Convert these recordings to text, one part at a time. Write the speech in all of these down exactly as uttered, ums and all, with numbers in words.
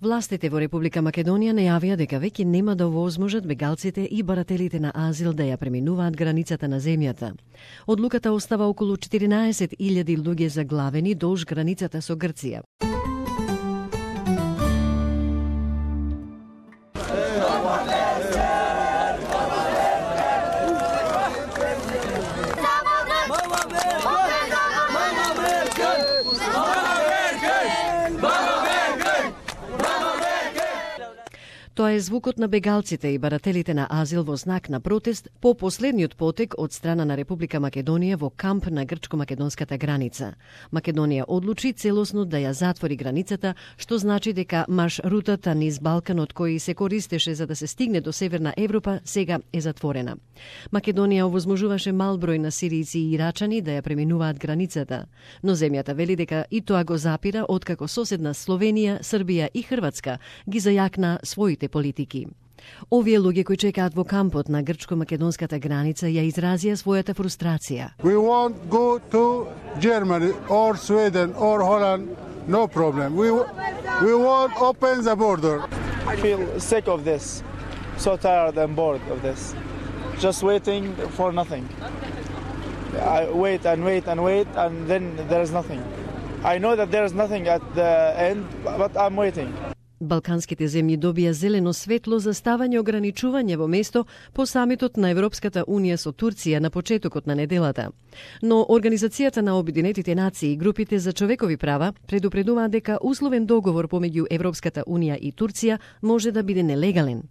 Властите во Република Македонија најавија дека веќе нема да овозможат бегалците и барателите на азил да ја преминуваат границата на земјата. Одлуката остава околу четиринаесет илјади луѓе заглавени долж границата со Грција. Тоа е звукот на бегалците и барателите на азил во знак на протест по последниот потек од страна на Република Македонија во камп на грчко-македонската граница. Македонија одлучи целосно да ја затвори границата, што значи дека марш-рутата низ Балканот кој се користеше за да се стигне до Северна Европа сега е затворена. Македонија овозможуваше мал број на сиријци и ирачани да ја преминуваат границата, но земјата вели дека и тоа го запира откако соседна Словенија, Србија и Хрватска ги зајакна своите политики. Овие луѓе кои чекаат во кампот на грчко-македонската граница ја изразија својата фрустрација. We won't go to Germany or Sweden or Holland, no problem. We we won't open the border. I feel sick of this. So tired and bored of this. Just waiting for nothing. I wait and wait and wait and then there's nothing. I know that there's nothing at the end, but I'm waiting. Балканските земји добија зелено светло за ставање ограничување во место по самитот на Европската Унија со Турција на почетокот на неделата. Но Организацијата на Обединетите нации и групите за човекови права предупредуваат дека условен договор помеѓу Европската Унија и Турција може да биде нелегален.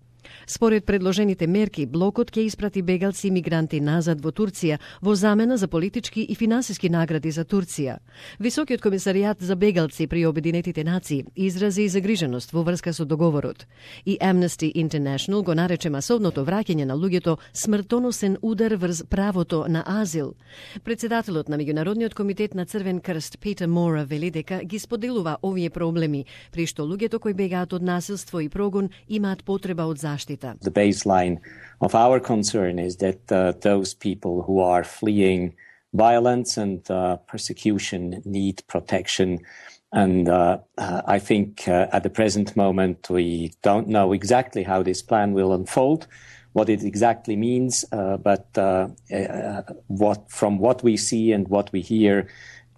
Според предложените мерки, блокот ќе испрати бегалци и мигранти назад во Турција во замена за политички и финансиски награди за Турција. Високиот комисаријат за бегалци при Обединетите нации изрази загриженост во врска со договорот. И Amnesty International го нарече масовното враќање на луѓето смртоносен удар врз правото на азил. Председателот на Меѓународниот комитет на Црвен крст Питер Мора вели дека ги споделува овие проблеми, при што луѓето кои бегаат од насилство и прогон имаат потреба од заштита. The baseline of our concern is that uh, those people who are fleeing violence and uh, persecution need protection. And uh, uh, I think uh, at the present moment we don't know exactly how this plan will unfold, what it exactly means, uh, but uh, uh, what, from what we see and what we hear,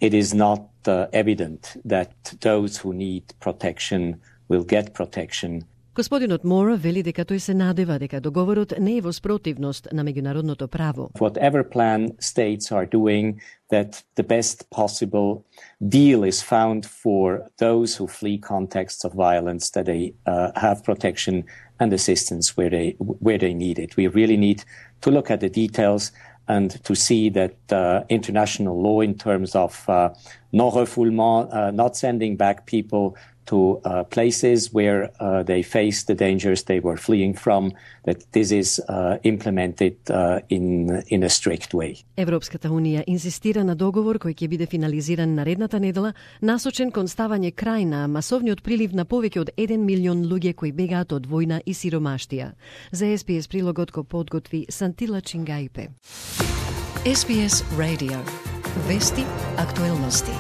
it is not uh, evident that those who need protection will get protection. Господинот Мора вели дека тој се надева дека договорот не е во спротивност на меѓународното право. Whatever plan states are doing, that the best possible deal is found for those who flee contexts of violence, that they uh, have protection and assistance where they where they need it. We really need to look at the details and to see that uh, international law in terms of uh, non-refoulement, uh, not sending back people to uh, places where uh, they face the dangers they were fleeing from, that this is uh, implemented uh, in in a strict way. Европската Унија инсистира на договор кој ќе биде финализиран наредната недела, насочен кон ставање крај на масовниот прилив на повеќе од еден милион луѓе кои бегаат од војна и сиромаштија. За Ес Би Ес прилогот го подготви Сантила Чингајпе. Ес Би Ес Radio. Вести, актуелности,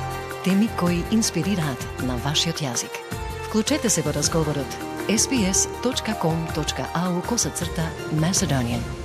теми кои инспирираат на вашиот јазик. Вклучете се во разговорот ес би ес точка ком точка ау косацрта Macedonian.